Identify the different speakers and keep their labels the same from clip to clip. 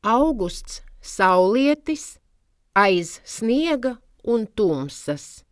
Speaker 1: Augusts saulietis, aiz sniega un tumsas.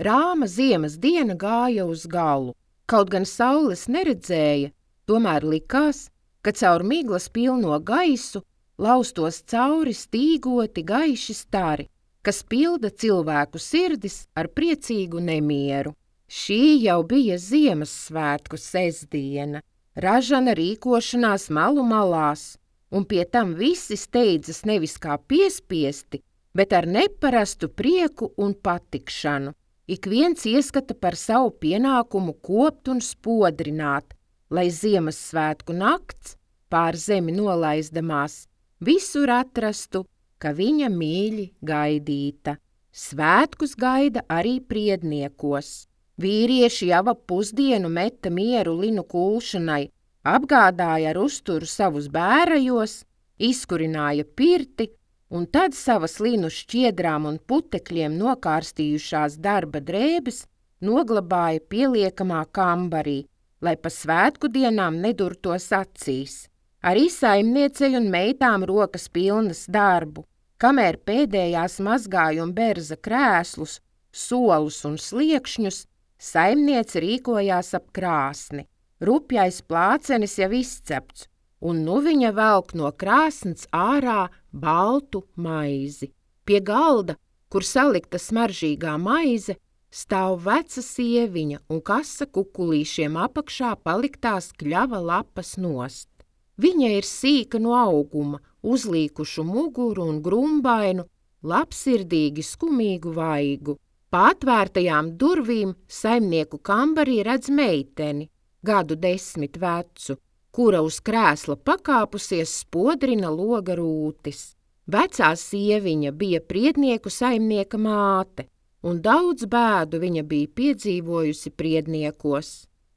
Speaker 1: Rāma ziemas diena gāja uz galu. Kaut gan saules neredzēja, tomēr likās, ka caur miglas pilno gaisu laustos cauri stīgoti gaiši stari, kas pilda cilvēku sirdis ar priecīgu nemieru. Šī jau bija Ziemassvētku sestdiena, ražana rīkošanās malu malās, un pie tam visi steidzas nevis kā piespiesti, bet ar neparastu prieku un patikšanu. Ik viens ieskata par savu pienākumu kopt un spodrināt, lai Ziemassvētku nakts, pār zemi nolaizdamās, visur atrastu, ka viņa mīļi gaidīta. Svētkus gaida arī priedniekos. Vīrieši jau ap pusdienu meta mieru linu kulšanai, apgādāja ar uzturu savus bērajos, izkurināja pirti, un tad savas linu šķiedrām un putekļiem nokārstījušās darba drēbes noglabāja pieliekamā kambarī, lai pa svētku dienām nedurtos acīs. Arī saimniecei un meitām rokas pilnas darbu, kamēr pēdējās mazgāja un berza krēslus, solus un sliekšņus, saimniece rīkojās ap krāsni. Rupjais plācenis jau izcepts, un nu viņa velk no krāsns ārā baltu maizi. Pie galda, kur salikta smaržīgā maize, stāv veca sieviņa un kasa kukulīšiem apakšā paliktās kļava lapas nost. Viņa ir sīka no auguma, uzlīkušu muguru un grumbainu, labsirdīgi skumīgu vaigu. Pa atvērtajām durvīm saimnieku kambarī redz meiteni, gadu 10 vecu, kura uz krēsla pakāpusies spodrina loga rūtis. Vecā sieviņa bija priednieku saimnieka māte, un daudz bēdu viņa bija piedzīvojusi priedniekos.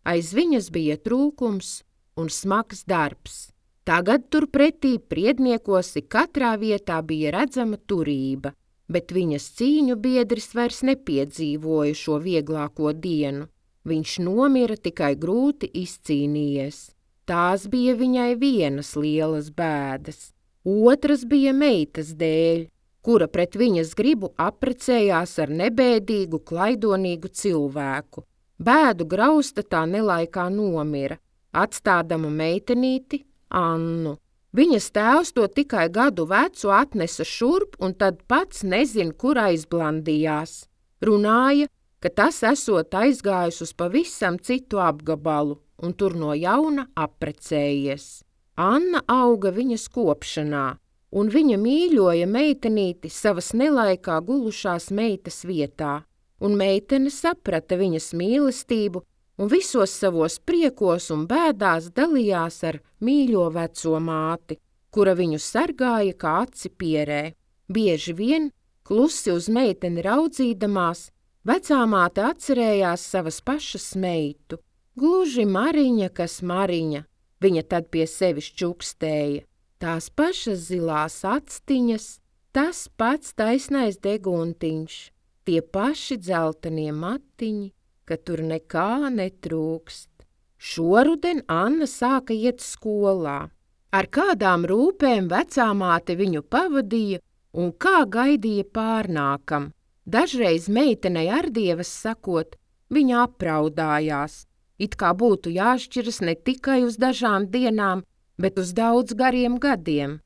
Speaker 1: Aiz viņas bija trūkums un smags darbs. Tagad turpretī priedniekos katrā vietā bija redzama turība, bet viņas cīņu biedris vairs nepiedzīvoja šo vieglāko dienu. Viņš nomira tikai grūti izcīnījies. Tās bija viņai vienas lielas bēdas. Otras bija meitas dēļ, kura pret viņas gribu apprecējās ar nebēdīgu, klaidonīgu cilvēku. Bēdu grausta tā nelaikā nomira, atstādama meitenīti Annu. Viņas tēvs to tikai gadu vecu atnesa šurp un tad pats nezin, kur aizblandījās. Runāja, ka tas esot aizgājis uz pavisam citu apgabalu un tur no jauna apprecējies. Anna auga viņas kopšanā, un viņa mīļoja meitenīti savas nelaikā gulušās meitas vietā, un meitene saprata viņas mīlestību un visos savos priekos un bēdās dalījās ar mīļo veco māti, kura viņu sargāja kā aci pierē. Bieži vien, klusi uz meiteni raudzīdamās, vecā māte atcerējās savas pašas meitu. Gluži Mariņa, kas Mariņa, viņa tad pie sevis čukstēja. Tās pašas zilās actiņas, tas pats taisnais deguntiņš, tie paši dzeltenie matiņi, ka tur nekā netrūkst. Šoruden Anna sāka iet skolā. Ar kādām rūpēm vecā māte viņu pavadīja un kā gaidīja pārnākam. Dažreiz meitenei ar dievas sakot, viņa apraudājās. It kā būtu jāšķiras ne tikai uz dažām dienām, bet uz daudz gariem gadiem.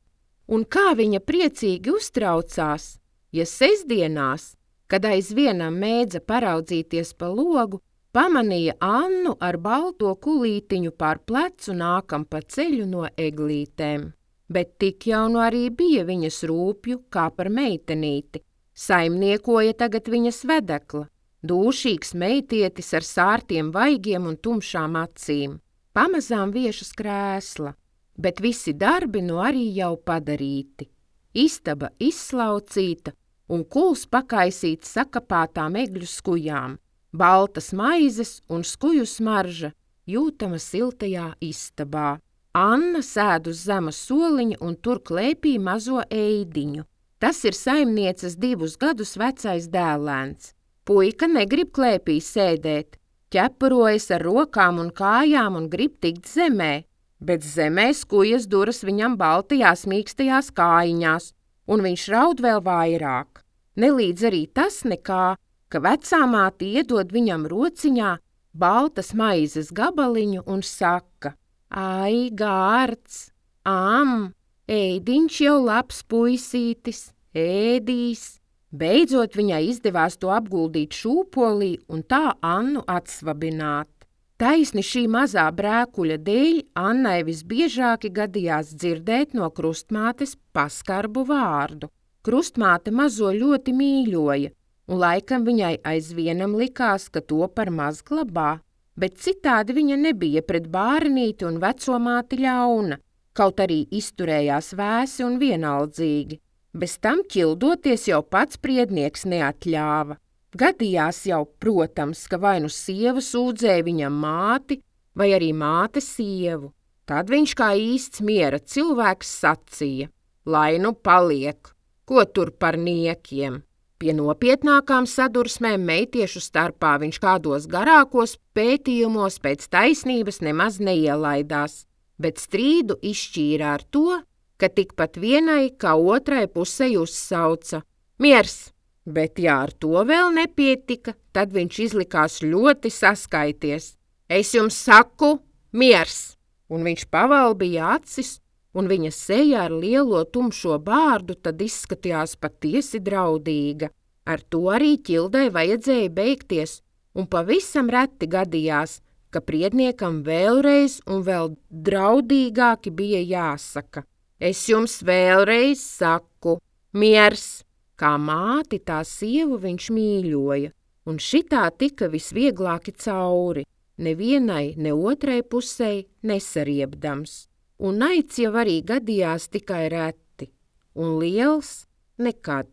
Speaker 1: Un kā viņa priecīgi uztraucās, ja sestdienās, kad aizvienam mēdza paraudzīties pa logu, pamanīja Annu ar balto kulītiņu pār plecu nākam pa ceļu no eglītēm. Bet tik jau nu arī bija viņas rūpju kā par meitenīti. Saimniekoja tagad viņas vedekla, dūšīgs meitietis ar sārtiem vaigiem un tumšām acīm. Pamazām viešas krēsla, bet visi darbi nu arī jau padarīti. Istaba izslaucīta un kuls pakaisīts sakapātām egļu skujām, baltas maizes un skuju smarža jūtama siltajā istabā. Anna sēd uz zema soliņa un tur klēpī mazo eidiņu. Tas ir saimnieces 2 gadus vecais dēlēns. Puika negrib klēpī sēdēt, ķepurojas ar rokām un kājām un grib tikt zemē. bet zemē skujas duras viņam baltajās mīkstajās kājiņās, un viņš raud vēl vairāk. Nelīdz arī tas nekā, ka vecā māte iedod viņam rociņā baltas maizes gabaliņu un saka: Ai, gārds, ēdiņš jau labs puisītis, ēdīs. Beidzot viņai izdevās to apguldīt šūpolī un tā Annu atsvabināt. Taisni šī mazā brēkuļa dēļ Annai visbiežāki gadījās dzirdēt no krustmātes paskarbu vārdu. Krustmāte mazo ļoti mīļoja, un laikam viņai aizvienam likās, ka to par maz glabā, bet citādi viņa nebija pret bērnīti un veco māti ļauna, kaut arī izturējās vēsi un vienaldzīgi. Bez tam ķildoties jau pats priednieks neatļāva. Gadījās jau, protams, ka vai nu sieva sūdzēja viņam māti, vai arī māte sievu. Tad viņš kā īsts miera cilvēks sacīja: Lai nu paliek, ko tur par niekiem. Pie nopietnākām sadursmēm meitiešu starpā viņš kādos garākos pētījumos pēc taisnības nemaz neielaidās, bet strīdu izšķīra ar to, ka tikpat vienai kā otrai pusei uzsauca: Miers! Bet ja ar to vēl nepietika, tad viņš izlikās ļoti saskaities. Es jums saku, miers! Un viņš pavalbīja acis, un viņa seja ar lielo tumšo bārdu tad izskatījās patiesi draudīga. Ar to arī ķildei vajadzēja beigties, un pavisam reti gadījās, ka priedniekam vēlreiz un vēl draudīgāki bija jāsaka: Es jums vēlreiz saku, miers! Kā māti tā sievu viņš mīļoja, un šitā tika visvieglāki cauri, nevienai, ne otrai pusei nesariebdams. Un naids jau arī gadījās tikai reti, un liels nekad.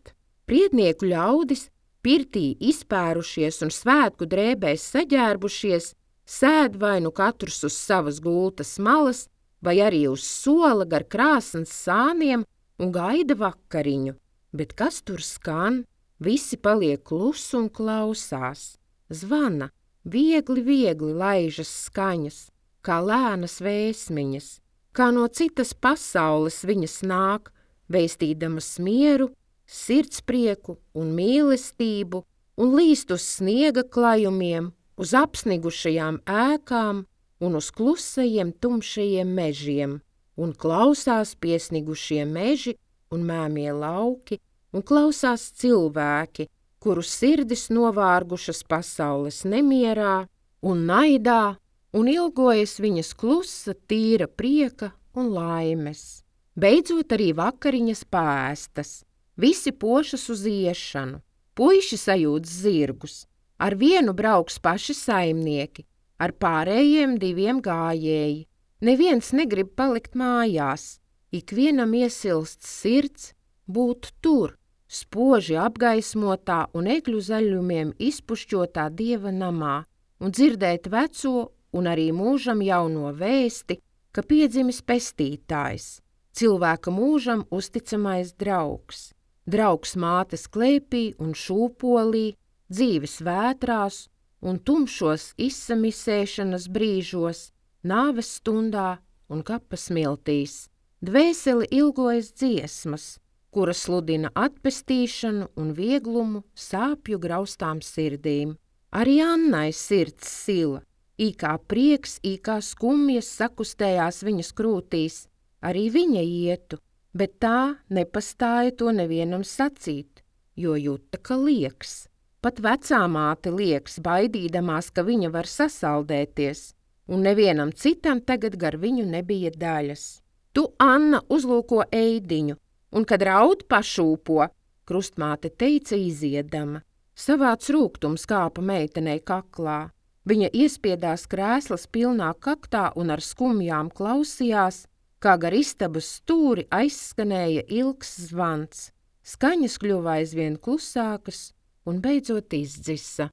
Speaker 1: Priednieku ļaudis, pirtī izpērušies un svētku drēbēs saģērbušies, sēd vai nu katrs uz savas gultas malas, vai arī uz sola gar krāsns sāniem un gaida vakariņu. Bet kas tur skan? Visi paliek klusi un klausās. Zvana, viegli laižas skaņas, kā lēnas vēsmiņas, kā no citas pasaules viņas nāk, vēstīdamas mieru, sirdsprieku un mīlestību, un līst uz sniega klajumiem, uz apsnigušajām ēkām un uz klusajiem tumšajiem mežiem, un klausās piesnigušie meži un mēmie lauki, un klausās cilvēki, kuru sirdis novārgušas pasaules nemierā un naidā, un ilgojas viņas klusa, tīra prieka un laimes. Beidzot arī vakariņas pāēstas, visi pošas uz iešanu, puiši sajūt zirgus, ar vienu brauks paši saimnieki, ar pārējiem 2 gājēji. Neviens negrib palikt mājās. Ikvienam iesilst sirds būt tur, spoži apgaismotā un egļu zaļumiem izpušķotā Dieva namā, un dzirdēt veco un arī mūžam jauno vēsti, ka piedzimis pestītājs, cilvēka mūžam uzticamais draugs. Draugs mātes klēpī un šūpolī, dzīves vētrās un tumšos izsamisēšanas brīžos, nāves stundā un kapa smiltīs. Dvēseli ilgojas dziesmas, kuras sludina atpestīšanu un vieglumu sāpju graustām sirdīm. Arī Annai sirds sila, īkā prieks, īkā skumjas sakustējās viņas krūtīs. Arī viņa ietu, bet tā nepastāja to nevienam sacīt, jo juta, ka lieks. Pat vecā māte lieks, baidīdamās, ka viņa var sasaldēties, un nevienam citam tagad gar viņu nebija daļas. Tu, Anna, uzlūko ēdiņu, un kad raud pašūpo, krustmāte teica iziedama. Savāds rūgtums kāpa meitenei kaklā. Viņa iespiedās krēslas pilnā kaktā un ar skumjām klausījās, kā gar istabas stūri aizskanēja ilgs zvans. Skaņas kļuva aizvien klusākas un beidzot izdzisa.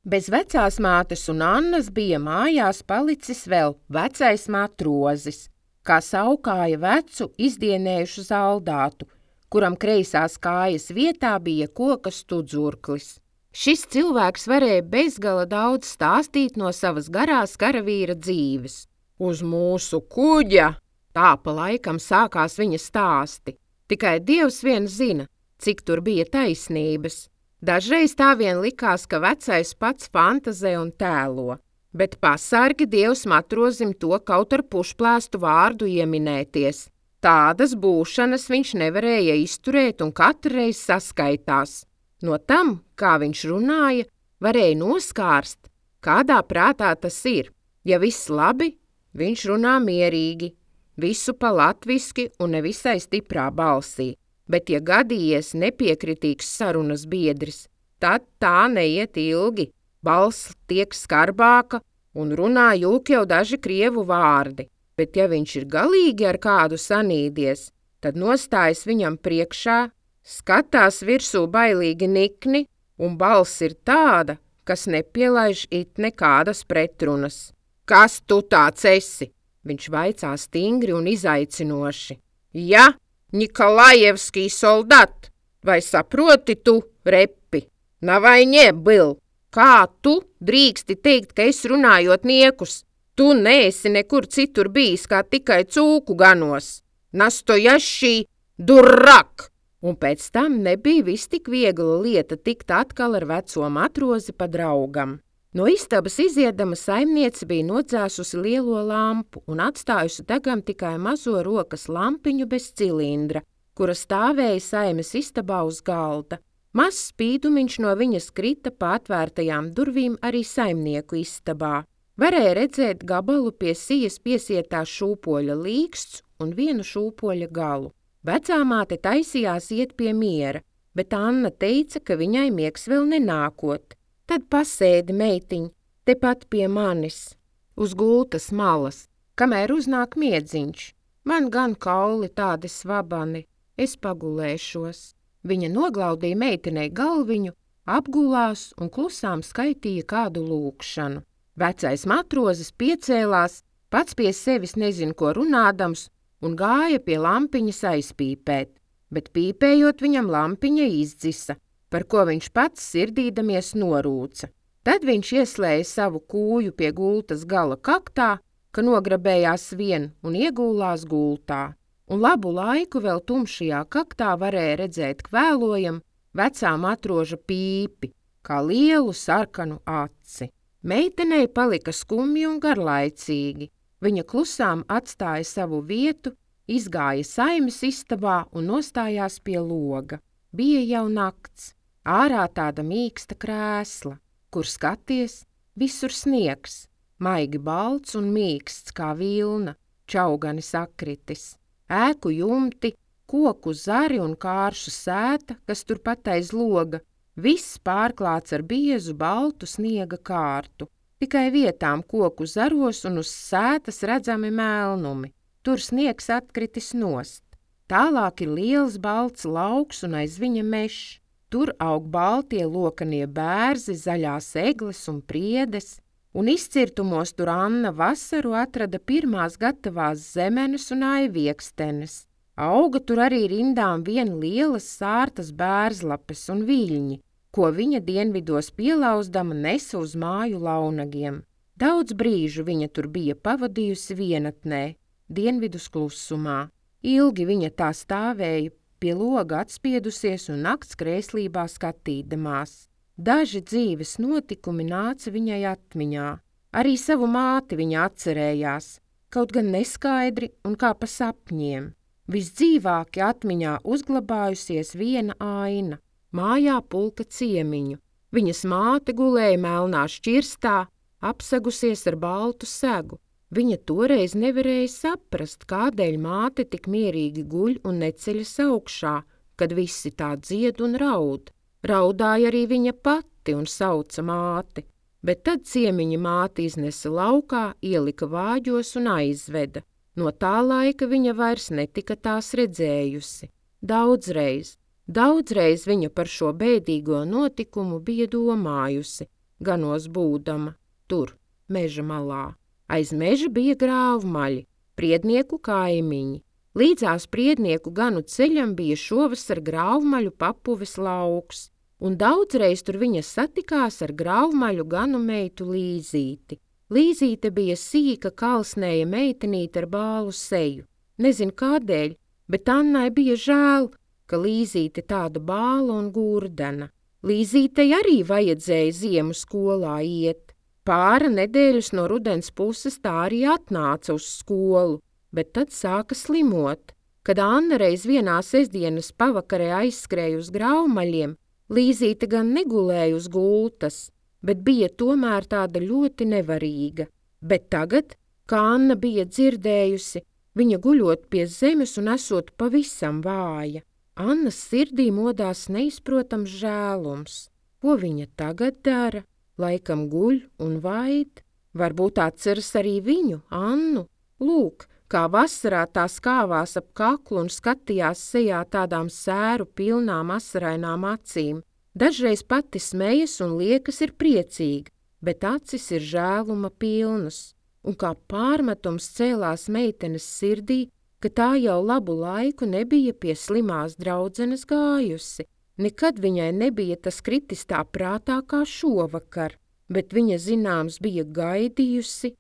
Speaker 1: Bez vecās mātes un Annas bija mājās palicis vēl vecais matrozis, kā saukāja vecu izdienējušu zaldātu, kuram kreisās kājas vietā bija koka studzurklis. Šis cilvēks varēja bezgala daudz stāstīt no savas garās karavīra dzīves. Uz mūsu kuģa! Tā pa laikam sākās viņa stāsti. Tikai Dievs vien zina, cik tur bija taisnības. Dažreiz tā vien likās, ka vecais pats fantazē un tēlo, bet pasargi Dievs matrozim to kaut ar pušplēstu vārdu ieminēties. Tādas būšanas viņš nevarēja izturēt un katru reizi saskaitās. No tam, kā viņš runāja, varēja noskārst, kādā prātā tas ir. Ja viss labi, viņš runā mierīgi, visu pa latviski un nevisai stiprā balsī, bet ja gadījies nepiekritīgs sarunas biedris, tad tā neiet ilgi, balss tiek skarbāka un runā jūk jau daži krievu vārdi, bet ja viņš ir galīgi ar kādu sanīdies, tad nostājas viņam priekšā, skatās virsū bailīgi nikni, un balss ir tāda, kas nepielaiž it nekādas pretrunas. Kas tu tāds esi? Viņš vaicā stingri un izaicinoši. Ja, Nikolajevskij soldat, vai saproti tu, repi? Navai nie byl. Kā tu drīksti teikt, ka es runājot niekus? Tu neesi nekur citur bijis, kā tikai cūku ganos. Nastojašī durrak! Un pēc tam nebija vis tik viegla lieta tikt atkal ar veco matrozi pa draugam. No istabas iziedama saimniece bija nodzēsusi lielo lampu un atstājusi degam tikai mazo rokas lampiņu bez cilindra, kura stāvēja saimes istabā uz galda. Mazs spīdumiņš no viņas krita pa atvērtajām durvīm arī saimnieku istabā. Varēja redzēt gabalu pie sijas piesietā šūpoļa līksts un vienu šūpoļa galu. Vecāmāte taisījās iet pie miera, bet Anna teica, ka viņai miegs vēl nenākot. Tad pasēdi, meitiņ, tepat pie manis, uz gultas malas, kamēr uznāk miedziņš. Man gan kauli tādi svabani, es pagulēšos. Viņa noglaudīja meitenei galviņu, apgulās un klusām skaitīja kādu lūkšanu. Vecais matrozis piecēlās, pats pie sevis nezin ko runādams, un gāja pie lampiņas aizpīpēt, bet pīpējot viņam lampiņa izdzisa, par ko viņš pats sirdīdamies norūca. Tad viņš ieslēja savu kūju pie gultas gala kaktā, ka nograbējās vien un iegūlās gultā. Un labu laiku vēl tumšajā kaktā varēja redzēt kvēlojam vecā matroža pīpi, kā lielu sarkanu aci. Meitenei palika skumji un garlaicīgi. Viņa klusām atstāja savu vietu, izgāja saimes istabā un nostājās pie loga. Bija jau nakts, ārā tāda mīksta krēsla, kur skaties, visur sniegs, maigi balts un mīksts kā vilna, čaugani sakritis. Ēku jumti, koku zari un kāršu sēta, kas turpat aiz loga, viss pārklāts ar biezu baltu sniega kārtu. Tikai vietām koku zaros un uz sētas redzami melnumi. Tur sniegs atkritis nost. Tālāk ir liels balts lauks un aiz viņa mežs. Tur aug baltie lokanie bērzi, zaļās egles un priedes. Un izcirtumos tur Anna vasaru atrada pirmās gatavās zemenes un aiviekstenes. Auga tur arī rindām vien lielas sārtas bērzlapes un viļņi, ko viņa dienvidos pielauzdama nesa uz māju launagiem. Daudz brīžu viņa tur bija pavadījusi vienatnē, dienvidus klusumā. Ilgi viņa tā stāvēja, pie loga atspiedusies un nakts krēslībā skatīdamās. Daži dzīves notikumi nāca viņai atmiņā. Arī savu māti viņa atcerējās, kaut gan neskaidri un kā pa sapņiem. Visdzīvāki atmiņā uzglabājusies viena aina. Mājā pulka ciemiņu. Viņas māte gulēja melnā šķirstā, apsegusies ar baltu segu. Viņa toreiz nevarēja saprast, kādēļ māte tik mierīgi guļ un neceļas augšā, kad visi tā dzied un raud. Raudāja arī viņa pati un sauca māti, bet tad ciemiņa māte iznesa laukā, ielika vāģos un aizveda. No tā laika viņa vairs netika tās redzējusi. Daudzreiz viņa par šo bēdīgo notikumu bija domājusi, ganos būdama, tur, meža malā. Aiz meža bija grāvmaļi, priednieku kaimiņi. Līdzās priednieku ganu ceļam bija šovasar grāvmaļu papuves lauks, un daudzreiz tur viņa satikās ar grauvmaļu ganu meitu Līzīti. Līzīte bija sīka, kalsnēja meitenīte ar bālu seju. Nezinu kādēļ, bet Annai bija žēl, ka Līzīte tāda bāla un gurdena. Līzītei arī vajadzēja ziemu skolā iet. Pāra nedēļas no rudens puses tā arī atnāca uz skolu, bet tad sāka slimot. Kad Anna reiz vienā sestdienas pavakarē aizskrēja uz grauvmaļiem, Līzīte gan negulēja uz gultas, bet bija tomēr tāda ļoti nevarīga. Bet tagad, kā Anna bija dzirdējusi, viņa guļot pie zemes un esot pavisam vāja. Annas sirdī modās neizprotams žēlums. Ko viņa tagad dara? Laikam guļ un vaid. Varbūt atceras arī viņu, Annu. Lūk, kā vasarā tā skāvās ap kaklu un skatījās sejā tādām sēru pilnām asarainām acīm. Dažreiz pati smejas un liekas ir priecīga, bet acis ir žēluma pilnas. Un kā pārmetums cēlās meitenes sirdī, ka tā jau labu laiku nebija pie slimās draudzenes gājusi. Nekad viņai nebija tas kritis tā prātā kā šovakar, bet viņa zināms bija gaidījusi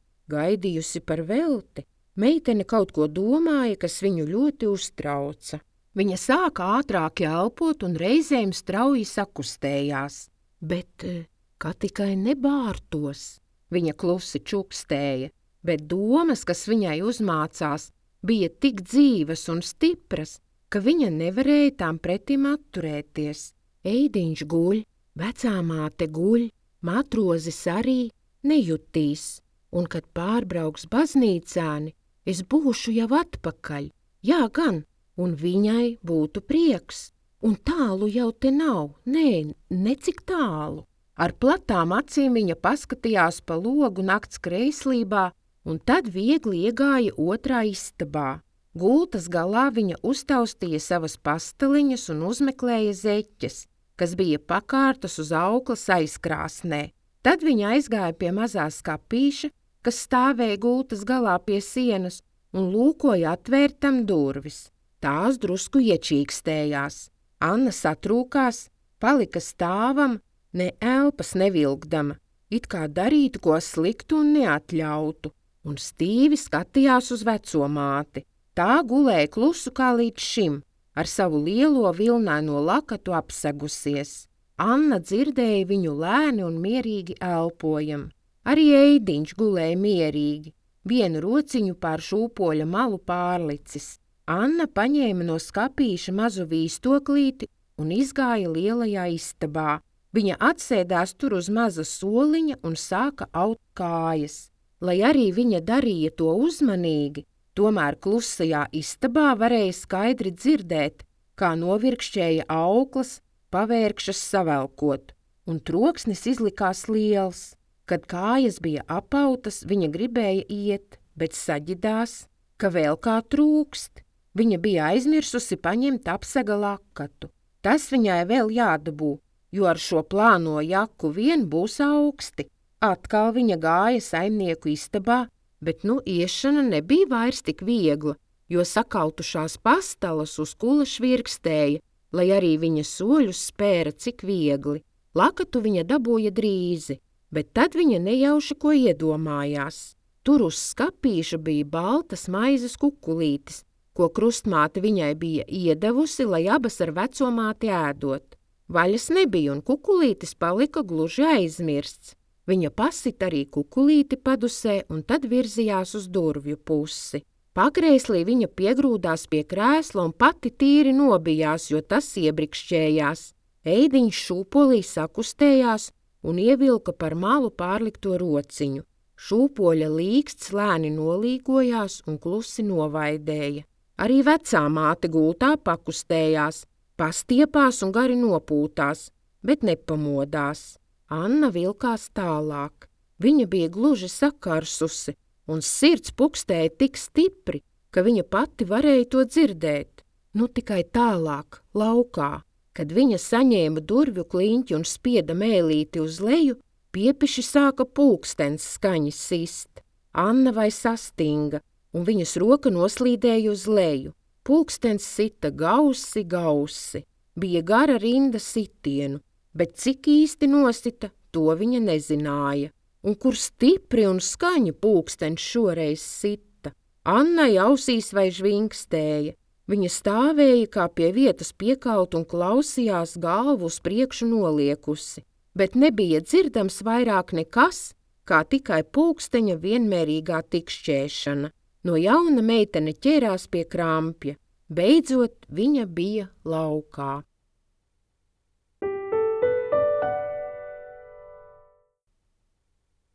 Speaker 1: par velti. Meitene kaut ko domāja, kas viņu ļoti uztrauca. Viņa sāka ātrāk elpot un reizēm strauji sakustējās, bet kā tikai nebārtos. Viņa klusi čukstēja, bet domas, kas viņai uzmācās, bija tik dzīves un stipras, ka viņa nevarēja tām pretim atturēties. Eidiņš guļ, vecā māte guļ, matrozis arī nejutīs, un kad pārbrauks baznīcāni, es būšu jau atpakaļ. Jā, gan, un viņai būtu prieks, un tālu jau te nav, necik tālu. Ar platām acīm viņa paskatījās pa logu nakts kreislībā, un tad viegli iegāja otrā istabā. Gultas galā viņa uztaustīja savas pasteliņas un uzmeklēja zeķes, kas bija pakārtas uz auklas aizkrāsnē. Tad viņa aizgāja pie mazās skapīša, kas stāvēja gultas galā pie sienas, un lūkoja atvērtam durvis. Tās drusku iečīkstējās. Anna satrūkās, palika stāvam, ne elpas nevilkdama, it kā darītu ko sliktu un neatļautu, un stīvi skatījās uz veco māti. Tā gulēja klusu kā līdz šim, ar savu lielo vilnaino lakatu apsegusies. Anna dzirdēja viņu lēni un mierīgi elpojam. Arī Eidiņš gulēja mierīgi, vienu rociņu pār šūpoļa malu pārlicis. Anna paņēma no skapīša mazu vīstoklīti un izgāja lielajā istabā. Viņa atsēdās tur uz maza soliņa un sāka aut kājas. Lai arī viņa darīja to uzmanīgi, tomēr klusajā istabā varēja skaidri dzirdēt, kā novirkšķēja auklas, pavērkšas savelkot, un troksnis izlikās liels. Kad kājas bija apautas, viņa gribēja iet, bet saģidās, ka vēl kā trūkst. Viņa bija aizmirsusi paņemt apsega lakatu. Tas viņai vēl jādabū, jo ar šo plāno jaku vien būs augsti. Atkal viņa gāja saimnieku istabā, bet iešana nebija vairs tik viegla, jo sakautušās pastalas uz kula švirkstēja, lai arī viņa soļus spēra cik viegli. Lakatu viņa dabūja drīzi, bet tad viņa nejauši ko iedomājās. Tur uz skapīša bija baltas maizes kukulītis, ko krustmāte viņai bija iedevusi, lai abas ar vecomāti ēdot. Vaļas nebija un kukulītis palika gluži aizmirsts. Viņa pasita arī kukulīti padusē un tad virzījās uz durvju pusi. Pakrēslī viņa piegrūdās pie krēsla un pati tīri nobijās, jo tas iebrikšķējās. Eidiņš šūpolī sakustējās un ievilka par malu pārlikto rociņu. Šūpoļa līksts lēni nolīgojās un klusi novaidēja. Arī vecā māte gultā pakustējās, pastiepās un gari nopūtās, bet nepamodās. Anna vilkās tālāk. Viņa bija gluži sakarsusi, un sirds pukstēja tik stipri, ka viņa pati varēja to dzirdēt. Tikai tālāk, laukā, kad viņa saņēma durvju kliņķi un spieda mēlīti uz leju, piepiši sāka pulkstens skaņi sist. Anna vai sastinga, un viņas roka noslīdēja uz leju. Pulkstens sita gausi. Bija gara rinda sitienu, bet cik īsti nosita, to viņa nezināja. Un kur stipri un skaņi pulkstenis šoreiz sita. Annai ausīs vai žvingstēja. Viņa stāvēja kā pie vietas piekaut un klausījās, galvu uz priekšu noliekusi, bet nebija dzirdams vairāk nekas, kā tikai pulksteņa vienmērīgā tikšķēšana. No jauna meitene ķērās pie krampja. Beidzot, viņa bija laukā.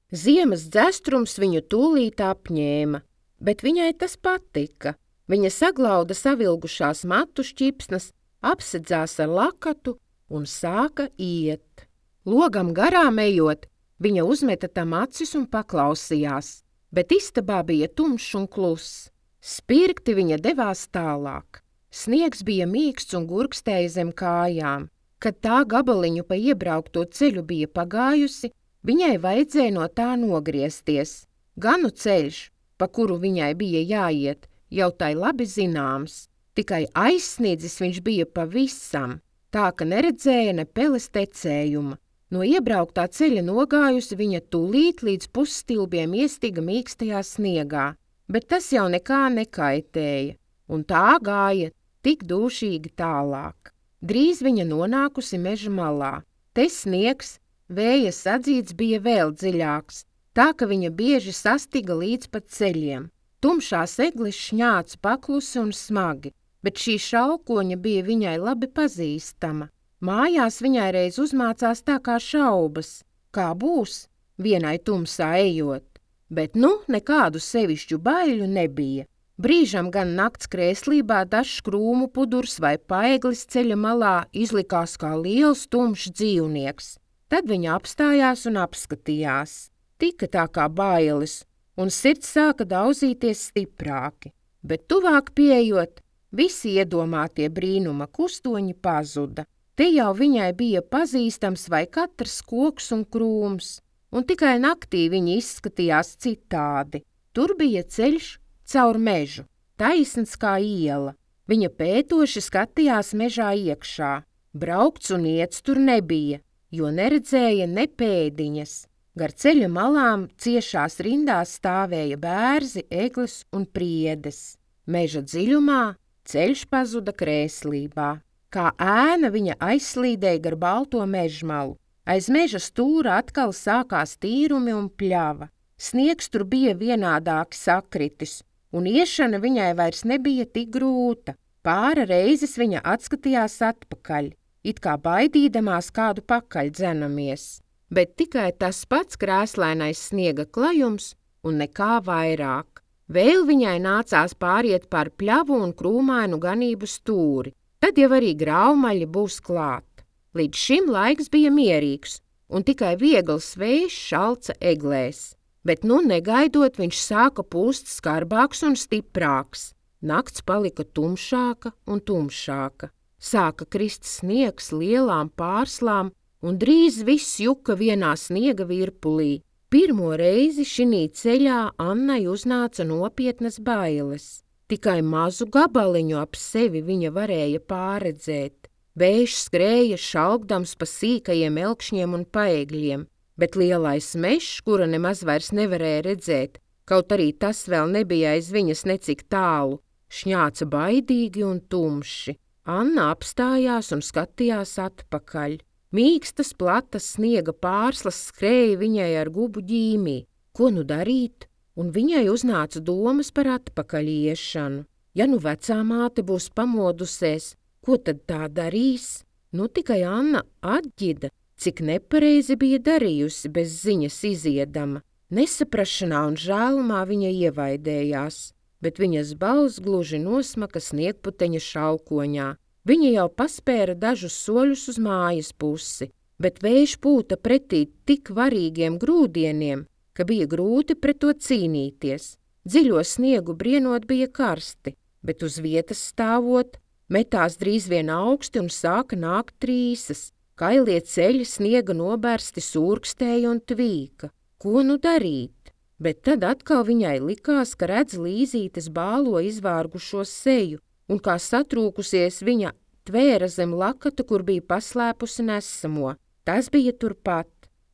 Speaker 1: Ziemas dzestrums viņu tūlīt apņēma, bet viņai tas patika. Viņa saglauda savilgušās matu šķipsnas, apsedzās ar lakatu un sāka iet. Logam garām ejot, viņa uzmeta tam acis un paklausījās, bet istabā bija tumšs un kluss. Spirgti viņa devās tālāk. Sniegs bija mīksts un gurkstēja zem kājām. Kad tā gabaliņu pa iebraukto ceļu bija pagājusi, viņai vajadzēja no tā nogriezties. Ganu ceļš, pa kuru viņai bija jāiet, jau tai labi zināms, tikai aizsniedzis viņš bija pavisam, tā ka neredzēja ne peles tecējuma. No iebrauktā ceļa nogājusi viņa tūlīt līdz pusstilbiem iestiga mīkstajā sniegā, bet tas jau nekā nekaitēja, un tā gāja tik dūšīgi tālāk. Drīz viņa nonākusi meža malā. Te sniegs, vēja sadzīts bija vēl dziļāks, tā ka viņa bieži sastiga līdz pat ceļiem. Tumšās eglis šņāca paklusi un smagi, bet šī šalkoņa bija viņai labi pazīstama. Mājās viņai reiz uzmācās tā kā šaubas, kā būs vienai tumsā ejot, bet nekādu sevišķu baiļu nebija. Brīžam gan nakts krēslībā dažs krūmu pudurs vai paeglis ceļa malā izlikās kā liels tumšs dzīvnieks. Tad viņa apstājās un apskatījās. Tika tā kā bailes, un sirds sāka daudzīties stiprāki, bet tuvāk pieejot, visi iedomātie brīnuma kustoņi pazuda. Te jau viņai bija pazīstams vai katrs koks un krūms, un tikai naktī viņi izskatījās citādi. Tur bija ceļš caur mežu, taisns kā iela. Viņa pētoši skatījās mežā iekšā. Braukts un iets tur nebija, jo neredzēja ne pēdiņas. Gar ceļa malām ciešās rindās stāvēja bērzi, eglis un priedes. Meža dziļumā ceļš pazuda krēslībā. Kā ēna viņa aizslīdēja gar balto mežmalu. Aiz meža stūra atkal sākās tīrumi un pļava. Sniegs tur bija vienādāki sakritis, un iešana viņai vairs nebija tik grūta. Pāra reizes viņa atskatījās atpakaļ, it kā baidīdamās kādu pakaļ dzenamies. Bet tikai tas pats krēslainais sniega klajums un nekā vairāk. Vēl viņai nācās pāriet pār pļavu un krūmainu ganību stūri. Tad jau arī graumaļi būs klāt. Līdz šim laiks bija mierīgs, un tikai viegls vējš šalca eglēs. Bet negaidot, viņš sāka pūst skarbāks un stiprāks. Nakts palika tumšāka un tumšāka. Sāka krist sniegs lielām pārslām, un drīz viss juka vienā sniega virpulī. Pirmo reizi šinī ceļā Annai uznāca nopietnas bailes. Tikai mazu gabaliņu ap sevi viņa varēja pārredzēt. Vējš skrēja šalkdams pa sīkajiem elkšņiem un paegļiem, bet lielais mežs, kura nemaz vairs nevarēja redzēt, kaut arī tas vēl nebija aiz viņas necik tālu, šņāca baidīgi un tumši. Anna apstājās un skatījās atpakaļ. Mīkstas, platas sniega pārslas skrēja viņai ar gubu ģīmī. Ko darīt? Un viņai uznāca domas par atpakaļ iešanu. Ja vecā māte būs pamodusies, ko tad tā darīs? Tikai Anna atģida, cik nepareizi bija darījusi bez ziņas iziedama. Nesaprašanā un žēlumā viņa ievaidējās, bet viņas balss gluži nosmaka sniegputeņa šalkoņā. Viņa jau paspēra dažus soļus uz mājas pusi, bet vējš pūta pretī tik varīgiem grūdieniem, ka bija grūti pret to cīnīties. Dziļo sniegu brienot bija karsti, bet uz vietas stāvot, metās drīz vien augsti un sāka nākt trīsas. Kailie ceļi sniega nobērsti surkstēja un tvīka. Ko darīt? Bet tad atkal viņai likās, ka redz Līzītes bālo izvārgušo seju, un kā satrūkusies viņa tvēra zem lakata, kur bija paslēpusi nesamo. Tas bija turpat.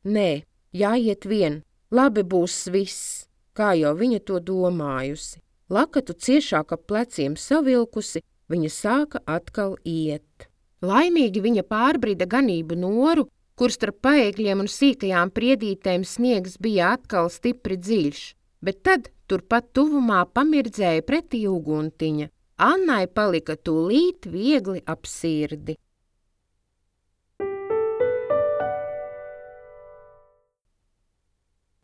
Speaker 1: Nē, jāiet vien, labi būs viss, kā jau viņa to domājusi. Lakatu ciešāk ap pleciem savilkusi, viņa sāka atkal iet. Laimīgi viņa pārbrida ganību noru, kur starp paēgļiem un sīkajām priedītēm sniegs bija atkal stipri dziļš, bet tad turpat tuvumā pamirdzēja pretī uguntiņa. Annai palika tūlīt viegli ap sirdi.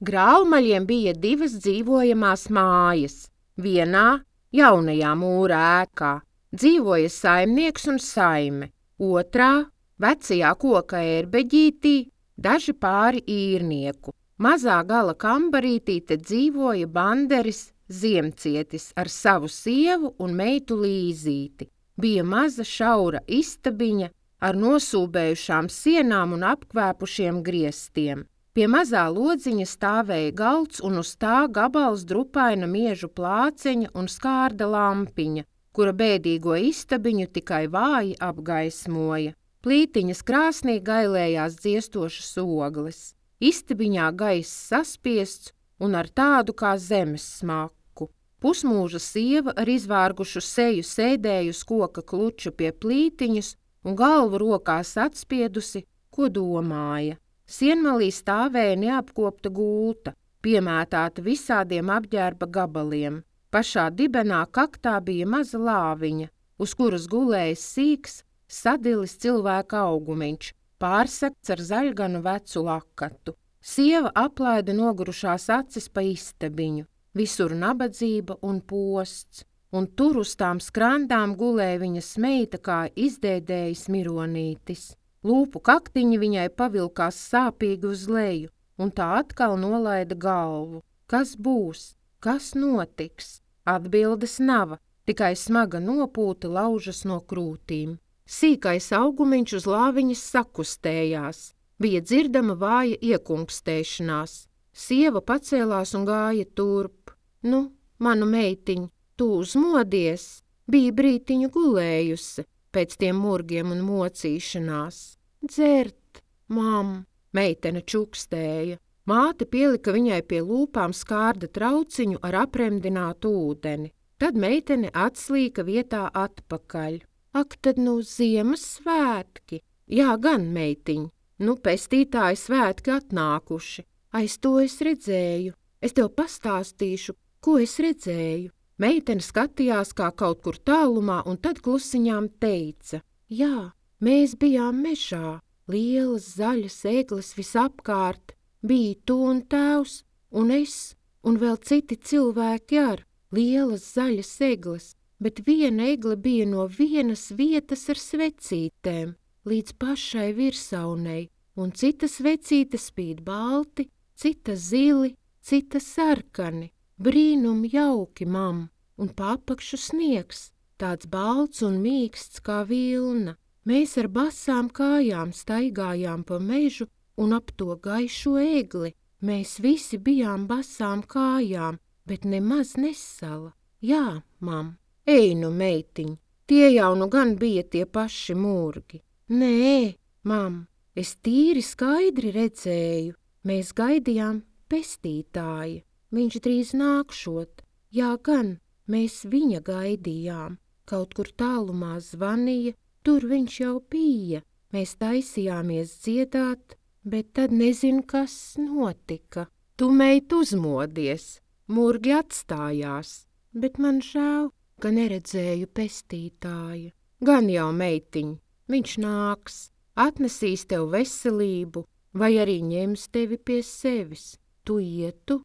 Speaker 1: Grālmaļiem bija 2 dzīvojamās mājas. Vienā, jaunajā mūra ēkā, dzīvoja saimnieks un saime, otrā, vecajā koka ērbeģītī, daži pāri īrnieku. Mazā gala kambarītī te dzīvoja banderis Ziemcietis ar savu sievu un meitu Līzīti. Bija maza šaura istabiņa ar nosūbējušām sienām un apkvēpušiem griestiem. Pie mazā lodziņa stāvēja galds un uz tā gabals drupaina miežu plāceņa un skārda lampiņa, kura bēdīgo istabiņu tikai vāji apgaismoja. Plītiņas krāsnī gailējās dziestošas ogles. Istabiņā gaiss saspiests un ar tādu kā zemes smaku. Pusmūža sieva ar izvārgušu seju sēdēja uz koka kluča pie plītiņas un galvu rokās atspiedusi, ko domāja. Sienmalī stāvēja neapkopta gulta, piemētāta visādiem apģērba gabaliem. Pašā dibenā kaktā bija maza lāviņa, uz kuras gulēja sīks, sadilis cilvēka augumiņš, pārsegts ar zaļganu vecu lakatu. Sieva aplaida nogurušās acis pa istabiņu, visur nabadzība un posts, un tur uz tām skrandām gulēja viņas meita kā izdēdējis mironītis. Lūpu kaktiņi viņai pavilkās sāpīgi uz leju, un tā atkal nolaida galvu. Kas būs? Kas notiks? Atbildes nav, tikai smaga nopūta laužas no krūtīm. Sīkais augumiņš uz lāviņas sakustējās, bija dzirdama vāja iekungstēšanās. Sieva pacēlās un gāja turp. Nu, manu meitiņu, tu uzmodies, bija brītiņu gulējusi pēc tiem murgiem un mocīšanās. Dzert, mam, meitene čukstēja. Māte pielika viņai pie lūpām skārda trauciņu ar apremdinātu ūdeni. Tad meitene atslīka vietā atpakaļ. Ak, tad nu Ziemassvētki. Jā, gan, meitiņ, nu pestītāji svētki atnākuši. Aiz to es redzēju. Es tev pastāstīšu, ko es redzēju. Meitene skatījās kā kaut kur tālumā un tad klusiņām teica. Jā, mēs bijām mežā, lielas zaļas egles visapkārt. Bija tu un tēvs, un es, un vēl citi cilvēki ar lielas zaļas egles, bet viena egle bija no vienas vietas ar svecītēm līdz pašai virsaunei, un cita svecīte spīd balti, cita zili, cita sarkani. Brīnum jauki, mam, un papakšu sniegs, tāds balts un mīksts kā vilna. Mēs ar basām kājām staigājām pa mežu un ap to gaišo egli. Mēs visi bijām basām kājām, bet nemaz nesala. Jā, mam, ej nu, meitiņ, tie jau nu gan bija tie paši murgi. Nē, mam, es tīri skaidri redzēju, mēs gaidījām pestītāju. Viņš drīz nākšot. Jā, gan, mēs viņa gaidījām. Kaut kur tālumā zvanīja, tur viņš jau bija. Mēs taisījāmies dziedāt, bet tad nezinu, kas notika. Tu, meit, uzmodies, murgi atstājās, bet man žēl, ka neredzēju pestītāju. Gan jau, meitiņ, viņš nāks, atnesīs tev veselību, vai arī ņems tevi pie sevis. Tu ietu,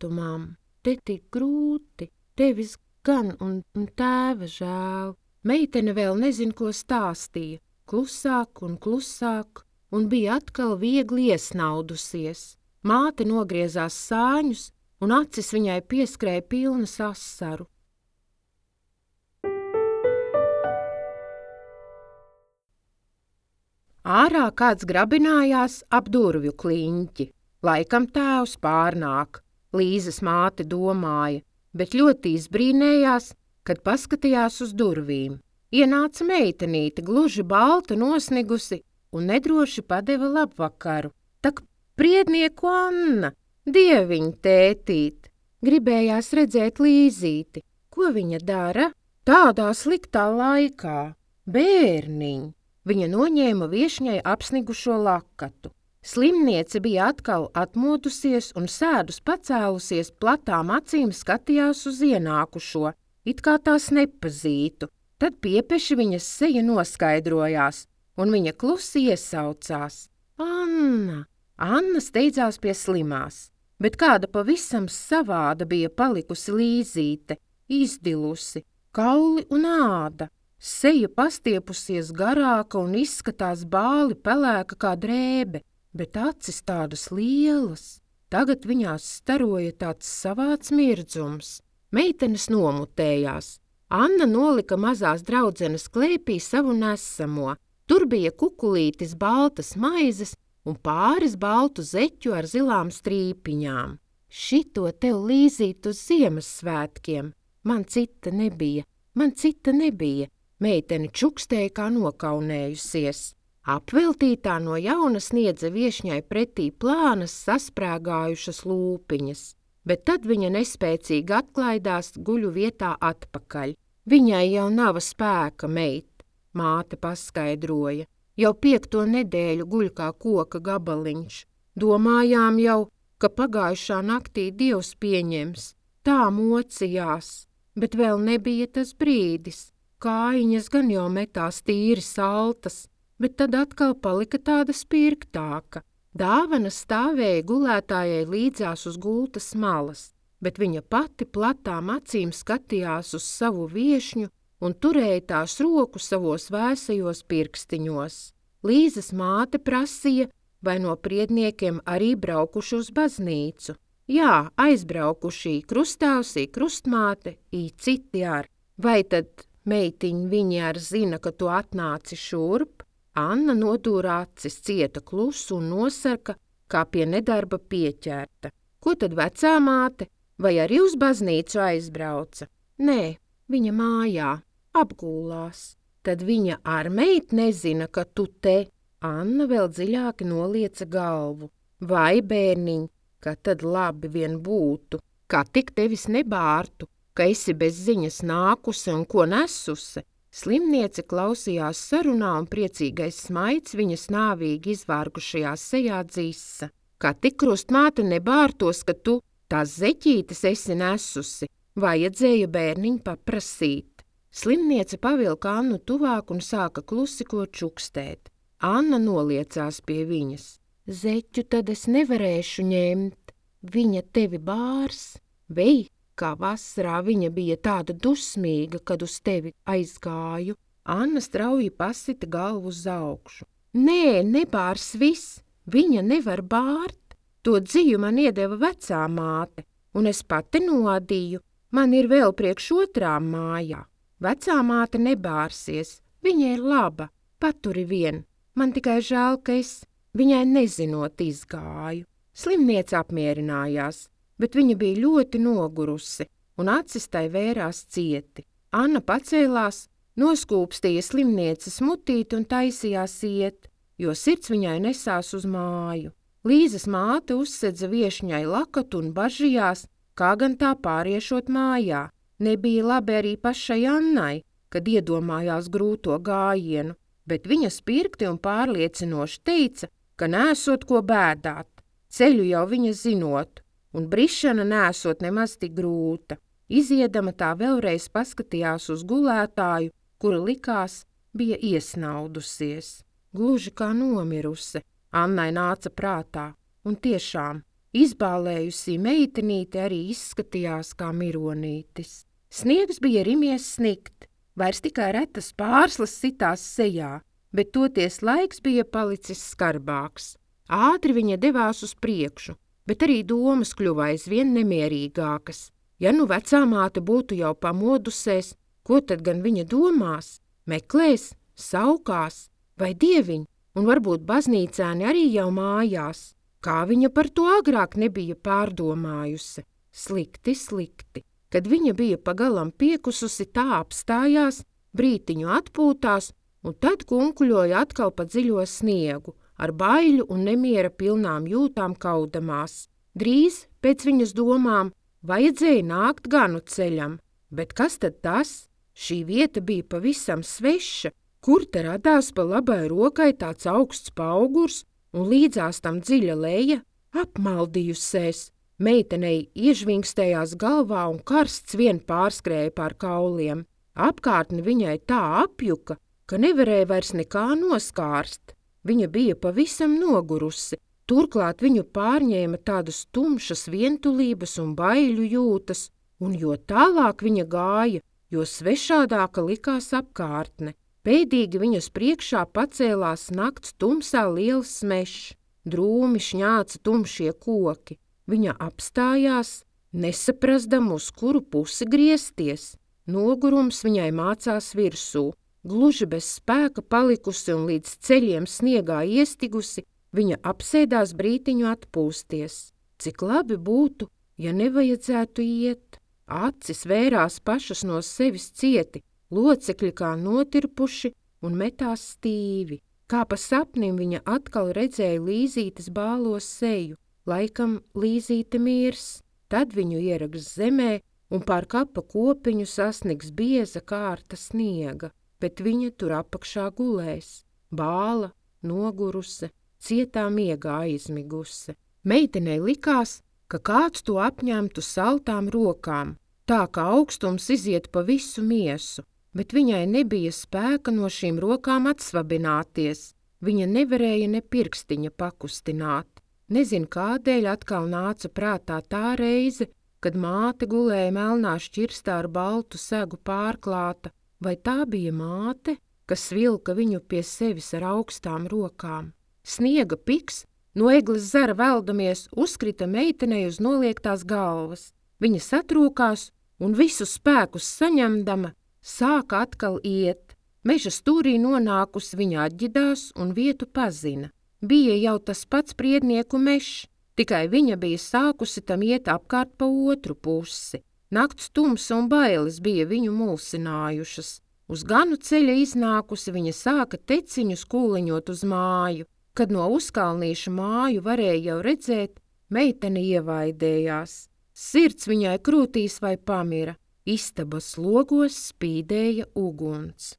Speaker 1: mam, te tik grūti, tevis gan un tēva žēl. Meitene vēl nezin, ko stāstīja, klusāk un bija atkal viegli iesnaudusies. Māte nogriezās sāņus, un acis viņai pieskrēja pilnas asaru. Ārā kāds grabinājās ap durvju kliņķi. Laikam tēvs pārnāk, Līzes māte domāja, bet ļoti izbrīnējās, kad paskatījās uz durvīm. Ienāca meitenīte, gluži balta nosnigusi, un nedroši padeva labvakaru. Tak priednieku Anna, dieviņ tētīt, gribējās redzēt Līzīti. Ko viņa dara? Tādā sliktā laikā. Bērniņ! Viņa noņēma viešņai apsnigušo lakatu. Slimniece bija atkal atmodusies un sēdus pacēlusies, platām acīm skatījās uz ienākušo, it kā tās nepazītu. Tad piepeši viņas seja noskaidrojās, un viņa klusi iesaucās. Anna! Anna steidzās pie slimās, bet kāda pavisam savāda bija palikusi Līzīte, izdilusi, kauli un āda. Seja pastiepusies garāka un izskatās bāli pelēka kā drēbe, bet acis tādas lielas. Tagad viņās staroja tāds savāds mirdzums. Meitenes nomutējās. Anna nolika mazās draudzenes klēpī savu nesamo. Tur bija kukulītis baltas maizes un pāris baltu zeķu ar zilām strīpiņām. Šito tev Līzīt uz Ziemassvētkiem. Man cita nebija. Meitene čukstēja kā nokaunējusies. Apveltītā no jauna sniedza viešņai pretī plānas sasprēgājušas lūpiņas, bet tad viņa nespēcīgi atklaidās guļu vietā atpakaļ. Viņai jau nav spēka, meit, māte paskaidroja. Jau 5. nedēļu guļ kā koka gabaliņš. Domājām jau, ka pagājušā naktī Dievs pieņems. Tā mocījās, bet vēl nebija tas brīdis. Kājiņas gan jau metās tīri saltas, bet tad atkal palika tāda spirgtāka. Dāvana stāvēja gulētājai līdzās uz gultas malas, bet viņa pati platām acīm skatījās uz savu viešņu un turēja tās roku savos vēsajos pirkstiņos. Līzas māte prasīja, vai no priedniekiem arī braukuši uz baznīcu. Jā, aizbraukuši krustāvsī, krustmāte, citi ar. Vai tad meitiņ viņi ar zina, ka tu atnāci šurp? Anna nodūra acis, cieta klusu un nosarka, kā pie nedarba pieķerta. Ko tad vecā māte? Vai arī uz baznīcu aizbrauca? Nē, viņa mājā, apgūlās. Tad viņa ar meit nezina, ka tu te. Anna vēl dziļāki nolieca galvu. Vai, bērniņ, ka tad labi vien būtu, kā tik tevis nebārtu, ka esi bez ziņas nākusi un ko nesusi. Slimniece klausījās sarunā un priecīgais smaids viņas nāvīgi izvārgušajā sejā dzisa. Kā tik krustmāte nebārtos, ka tu tās zeķītes esi nesusi, vajadzēja bērniņu paprasīt. Slimniece pavilka Annu tuvāk un sāka klusi ko čukstēt. Anna noliecās pie viņas. Zeķu tad es nevarēšu ņemt, viņa tevi bārs, vei. Kā vasarā viņa bija tāda dusmīga, kad uz tevi aizgāju. Anna strauji pasita galvu uz augšu. Nē, nebārs viss, viņa nevar bārt. To dziju man iedeva vecā māte, un es pati nodīju. Man ir vēl priekš otrām mājā. Vecā māte nebārsies, viņa ir laba, paturi vien. Man tikai žēl, ka es viņai nezinot izgāju. Slimniece apmierinājās. Bet viņa bija ļoti nogurusi, un acis tai vērās cieti. Anna pacēlās, noskūpstīja slimnieces mutīti un taisījās iet, jo sirds viņai nesās uz māju. Līzas māte uzsedza viešņai lakatu un bažījās, kā gan tā pāriešot mājā. Nebija labi arī pašai Annai, kad iedomājās grūto gājienu, bet viņa spirgti un pārliecinoši teica, ka nesot ko bēdāt, ceļu jau viņa zinot. Un brišana nesot nemaz tik grūta. Iziedama tā vēlreiz paskatījās uz gulētāju, kura likās bija iesnaudusies. Gluži kā nomirusi, Annai nāca prātā, un tiešām izbālējusī meitenīte arī izskatījās kā mironītis. Sniegs bija rimies snikt, vairs tikai retas pārslas sitās sejā, bet toties laiks bija palicis skarbāks. Ātri viņa devās uz priekšu, bet arī domas kļuva aizvien nemierīgākas. Ja nu vecā māte būtu jau pamodusies, ko tad gan viņa domās? Meklēs, saukās, vai dieviņ, un varbūt baznīcēni arī jau mājās. Kā viņa par to agrāk nebija pārdomājusi? Slikti. Kad viņa bija pagalam piekususi, tā apstājās, brītiņu atpūtās un tad kunkuļoja atkal pa dziļo sniegu, ar baiļu un nemiera pilnām jūtām kaudamās. Drīz, pēc viņas domām, vajadzēja nākt ganu ceļam, bet kas tad tas? Šī vieta bija pavisam sveša, kur te radās pa labai rokai tāds augsts paugurs un līdzās tam dziļa leja, apmaldījusies. Meitenei iežvingstējās galvā un karsts vien pārskrēja pār kauliem. Apkārtni viņai tā apjuka, ka nevarēja vairs nekā noskārst. Viņa bija pavisam nogurusi, turklāt viņu pārņēma tādas tumšas vientulības un baiļu jūtas, un jo tālāk viņa gāja, jo svešādāka likās apkārtne. Pēdīgi viņas priekšā pacēlās nakts tumsā liels smešs, drūmi šņāca tumšie koki. Viņa apstājās, nesaprasdam, uz kuru pusi griezties. Nogurums viņai mācās virsū. Gluži bez spēka palikusi un līdz ceļiem sniegā iestigusi, viņa apsēdās brītiņu atpūsties. Cik labi būtu, ja nevajadzētu iet. Acis vērās pašas no sevis cieti, locekļi kā notirpuši un metās stīvi. Kā pa sapnim viņa atkal redzēja Līzītes bālo seju. Laikam Līzīte mirs, tad viņu ieraks zemē un pār kapa kopiņu sasnigs bieza kārta sniega, bet viņa tur apakšā gulēs, bāla, noguruse, cietā miegā aizmiguse. Meitenei likās, ka kāds to apņemtu saltām rokām, tā kā augstums iziet pa visu miesu, bet viņai nebija spēka no šīm rokām atsvabināties. Viņa nevarēja ne pirkstiņa pakustināt. Nezinu, kādēļ atkal nāca prātā tā reize, kad māte gulēja melnā šķirstā ar baltu segu pārklāta, vai tā bija māte, kas vilka viņu pie sevis ar augstām rokām. Sniega piks, no egles zara veldamies, uzkrita meitenei uz noliektās galvas. Viņa satrūkās un visu spēkus saņemdama, sāka atkal iet. Meža stūrī nonākusi viņa atģidās un vietu pazina. Bija jau tas pats priednieku mežs, tikai viņa bija sākusi tam iet apkārt pa otru pusi. Nakts tumsa un bailes bija viņu mulsinājušas. Uz ganu ceļa iznākusi viņa sāka teciņus kūliņot uz māju. Kad no uzkalnīša māju varēja jau redzēt, meitene ievaidējās. Sirds viņai krūtīs vai pamira, istabas logos spīdēja uguns.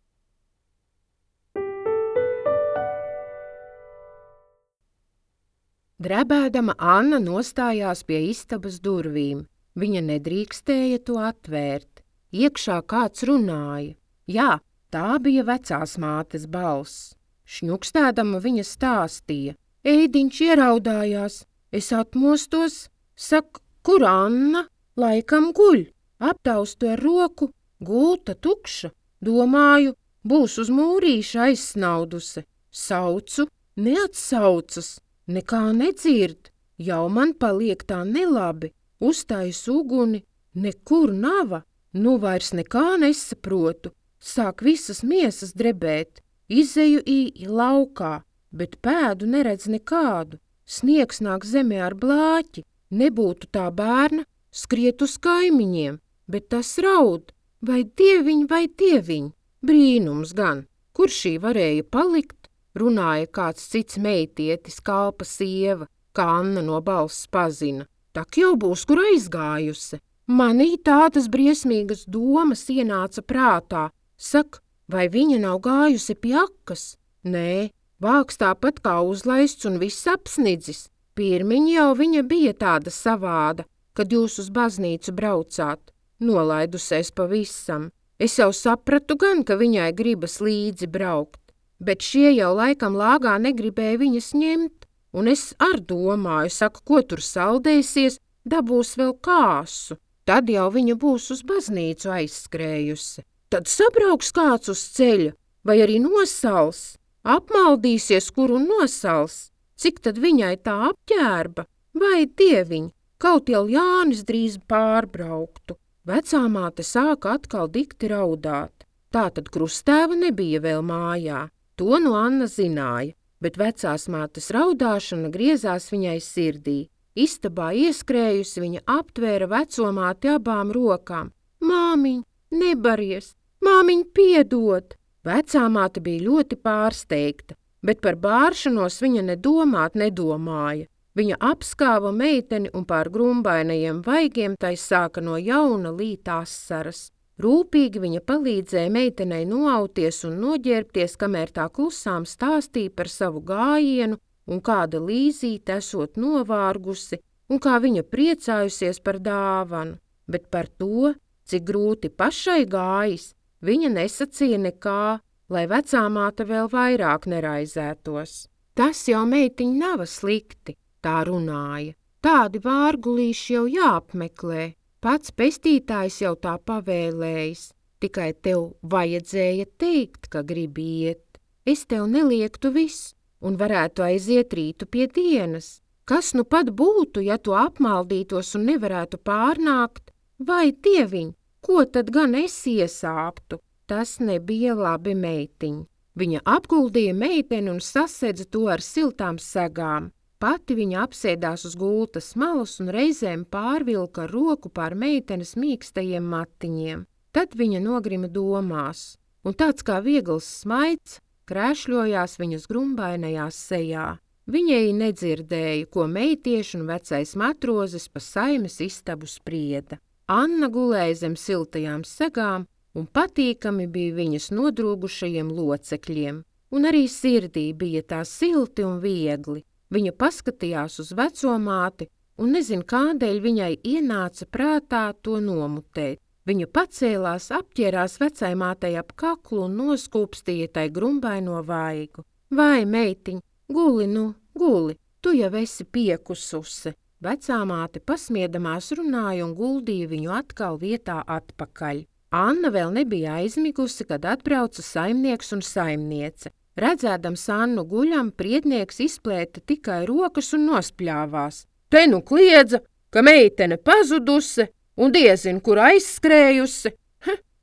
Speaker 1: Drebēdama Anna nostājās pie istabas durvīm. Viņa nedrīkstēja to atvērt. Iekšā kāds runāja. Jā, tā bija vecās mātes balss. Šņukstēdama viņa stāstīja. Eidiņš ieraudājās. Es atmostos, saka, kur Anna? Laikam guļ. Aptaustu ar roku, gulta tukša. Domāju, būs uz mūrīša aizsnauduse. Saucu, neatsaucas. Nekā nedzird, jau man paliek tā nelabi, uztais uguni, nekur nava, nu vairs nekā nesaprotu, sāk visas miesas drebēt, izeju laukā, bet pēdu neredz nekādu, sniegs nāk zemē ar blāķi, nebūtu tā bērna, skriet uz kaimiņiem, bet tas raud, vai dieviņ, brīnums gan, kur šī varēja palikt? Runāja kāds cits meitietis, kalpa sieva, kā Anna no balss pazina. Tak jau būs, kur aizgājusi. Manī tādas briesmīgas domas ienāca prātā. Sak, vai viņa nav gājusi pie akas? Nē, vāks tāpat kā uzlaists un viss apsnidzis. Pirmiņ jau viņa bija tāda savāda, kad jūs uz baznīcu braucāt. Nolaidusies pavisam. Es jau sapratu gan, ka viņai gribas līdzi braukt. Bet šie jau laikam lāgā negribēja viņas ņemt, un es ar domāju, saku, ko tur saldēsies, dabūs vēl kāsu. Tad jau viņa būs uz baznīcu aizskrējusi. Tad sabrauks kāds uz ceļa, vai arī nosals, apmaldīsies, kur un nosals. Cik tad viņai tā apģērba? Vai dieviņ, kaut jau Jānis drīz pārbrauktu. Vecāmāte sāka atkal dikti raudāt. Tātad krustēva nebija vēl mājā. To no Anna zināja, bet vecās mātes raudāšana griezās viņai sirdī. Istabā ieskrējusi viņa aptvēra vecomāti abām rokām. Māmiņ, nebaries, māmiņ, piedod! Vecāmāte bija ļoti pārsteigta, bet par bāršanos viņa nedomāja. Viņa apskāva meiteni un pār grumbainajiem vaigiem tai sāka no jauna līt asaras. Rūpīgi viņa palīdzēja meitenei noauties un noģērbties, kamēr tā klusām stāstīja par savu gājienu un kāda Līzīte esot novārgusi un kā viņa priecājusies par dāvanu, bet par to, cik grūti pašai gājis, viņa nesacīja nekā, lai vecāmāte vēl vairāk neraizētos. Tas jau meitiņ nav slikti, tā runāja. Tādi vārgulīši jau jāapmeklē. Pats pestītājs jau tā pavēlējis, tikai tev vajadzēja teikt, ka gribi iet. Es tev neliektu viss un varētu aiziet rītu pie dienas. Kas nu pat būtu, ja tu apmaldītos un nevarētu pārnākt? Vai, dieviņ, ko tad gan es iesāptu? Tas nebija labi meitiņ. Viņa apguldīja meiteni un sasedza to ar siltām segām. Pati viņa apsēdās uz gultas malas un reizēm pārvilka roku pār meitenes mīkstajiem matiņiem. Tad viņa nogrima domās, un tāds kā viegls smaids krēšļojās viņas grumbainajās sejā. Viņai nedzirdēja, ko meitieši un vecais matrozes pa saimes istabu sprieda. Anna gulēja zem siltajām segām, un patīkami bija viņas nodrūgušajiem locekļiem, un arī sirdī bija tā silti un viegli. Viņa paskatījās uz vecomāti un nezin kādēļ viņai ienāca prātā to nomutēt. Viņa pacēlās, apķērās vecajmātei ap kaklu un noskūpstīja tai grumbaino vaigu. Vai, meitiņ, guli nu, guli, tu jau esi piekususi. Vecāmāte pasmiedamās runāja un guldīja viņu atkal vietā atpakaļ. Anna vēl nebija aizmigusi, kad atbrauca saimnieks un saimniece. Redzēdams Annu guļam, priednieks izplēta tikai rokas un nospļāvās. Te nu kliedza, ka meitene pazudusi un diezin, kur aizskrējusi.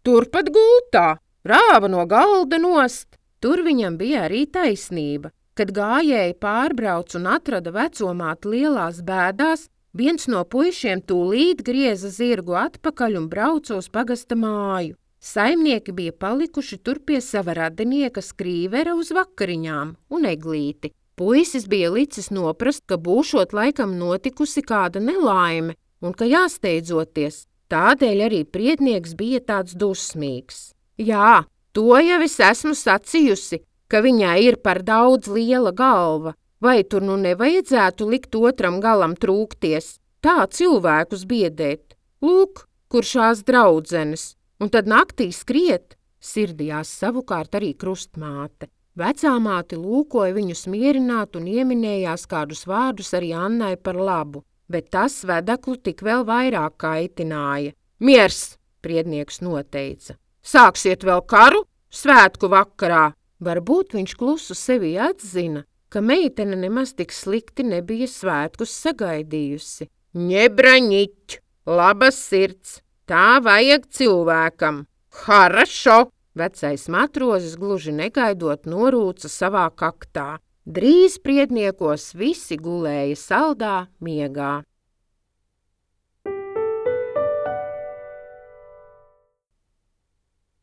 Speaker 1: Turpat gultā, rāva no galda nost. Tur viņam bija arī taisnība. Kad gājēji pārbrauc un atrada vecomāti lielās bēdās, viens no puišiem tūlīt grieza zirgu atpakaļ un brauca uz pagasta māju. Saimnieki bija palikuši tur pie sava radinieka Skrīvera uz vakariņām un Eglīti. Puisis bija licis noprast, ka būšot laikam notikusi kāda nelaime un ka jāsteidzoties. Tādēļ arī priednieks bija tāds dusmīgs. Jā, to jau es esmu sacījusi, ka viņai ir par daudz liela galva. Vai tur nu nevajadzētu likt otram galam trūkties? Tā cilvēkus biedēt. Lūk, kur šās draudzenes. Un tad naktī skriet, sirdījās savukārt arī krustmāte. Vecāmāte lūkoja viņus mierināt un ieminējās kādus vārdus arī Annai par labu, bet tas vedeklu tik vēl vairāk kaitināja. Miers, priednieks noteica. Sāksiet vēl karu svētku vakarā. Varbūt viņš klusu sevi atzina, ka meitene nemaz tik slikti nebija svētkus sagaidījusi. Ņebraņiķ, labas sirds. Tā vajag cilvēkam. Harašo! Vecais matrozis gluži negaidot norūca savā kaktā. Drīz priedniekos visi gulēja saldā miegā.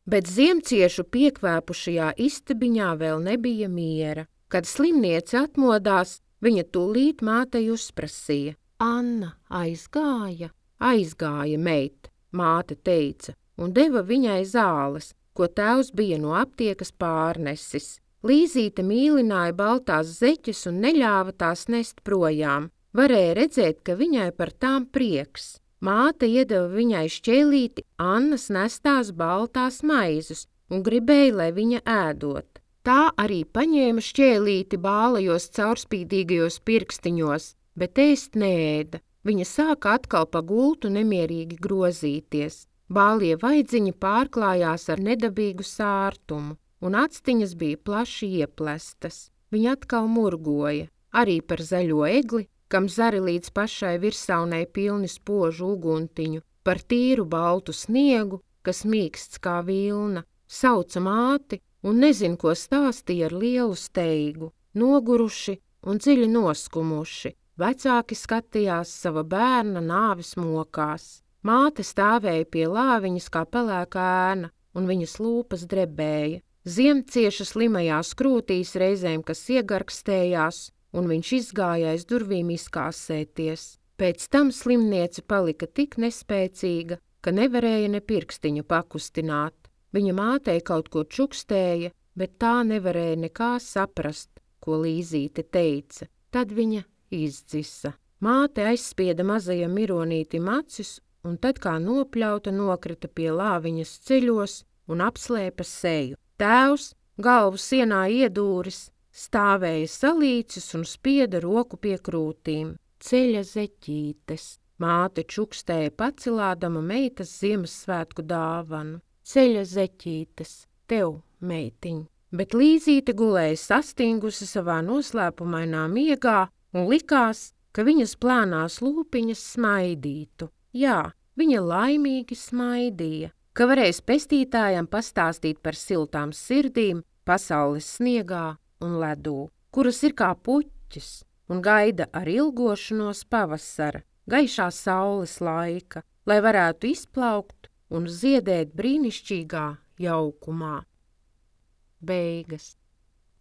Speaker 1: Bet ziemciešu piekvēpušajā istabiņā vēl nebija miera. Kad slimniece atmodās, viņa tūlīt mātei uzprasīja. Anna aizgāja? Aizgāja, meit. Māte teica, un deva viņai zāles, ko tēvs bija no aptiekas pārnesis. Līzīte mīlināja baltās zeķes un neļāva tās nest projām. Varēja redzēt, ka viņai par tām prieks. Māte iedeva viņai šķēlīti Annas nestās baltās maizes un gribēja, lai viņa ēdot. Tā arī paņēma šķēlīti bālajos caurspīdīgajos pirkstiņos, bet ēst neēda. Viņa sāka atkal pa gultu nemierīgi grozīties. Bālie vaidziņi pārklājās ar nedabīgu sārtumu, un actiņas bija plaši ieplestas. Viņa atkal murgoja, arī par zaļo egli, kam zari līdz pašai virsaunai pilni spožu uguntiņu, par tīru baltu sniegu, kas mīksts kā vilna, sauca māti un nezin, ko stāstīja ar lielu steigu, noguruši un dziļi noskumuši. Vecāki skatījās sava bērna nāves mokās. Māte stāvēja pie lāviņas kā pelēka ēna, un viņas lūpas drebēja. Ziem cieša slimajās krūtīs reizēm, kas iegarkstējās, un viņš izgāja aiz durvīm izkāsēties. Pēc tam slimniece palika tik nespēcīga, ka nevarēja ne pirkstiņu pakustināt. Viņa mātei kaut ko čukstēja, bet tā nevarēja nekā saprast, ko Līzīte teica. Tad viņa izdzisa. Māte aizspieda mazajam mironītim acis, un tad kā nopļauta nokrita pie lāviņas ceļos un apslēpa seju. Tēvs, galvu sienā iedūris, stāvēja salīcis un spieda roku pie krūtīm. Ceļa zeķītes. Māte čukstēja pacilādama meitas Ziemassvētku dāvanu. Ceļa zeķītes, tev, meitiņ. Bet Līzīte gulēja sastingusi savā noslēpumainā miegā un likās, ka viņas plānās lūpiņas smaidītu. Jā, viņa laimīgi smaidīja, ka varēs pestītājam pastāstīt par siltām sirdīm pasaules sniegā un ledū, kuras ir kā puķis un gaida ar ilgošanos pavasara, gaišā saules laika, lai varētu izplaukt un ziedēt brīnišķīgā jaukumā. Beigas.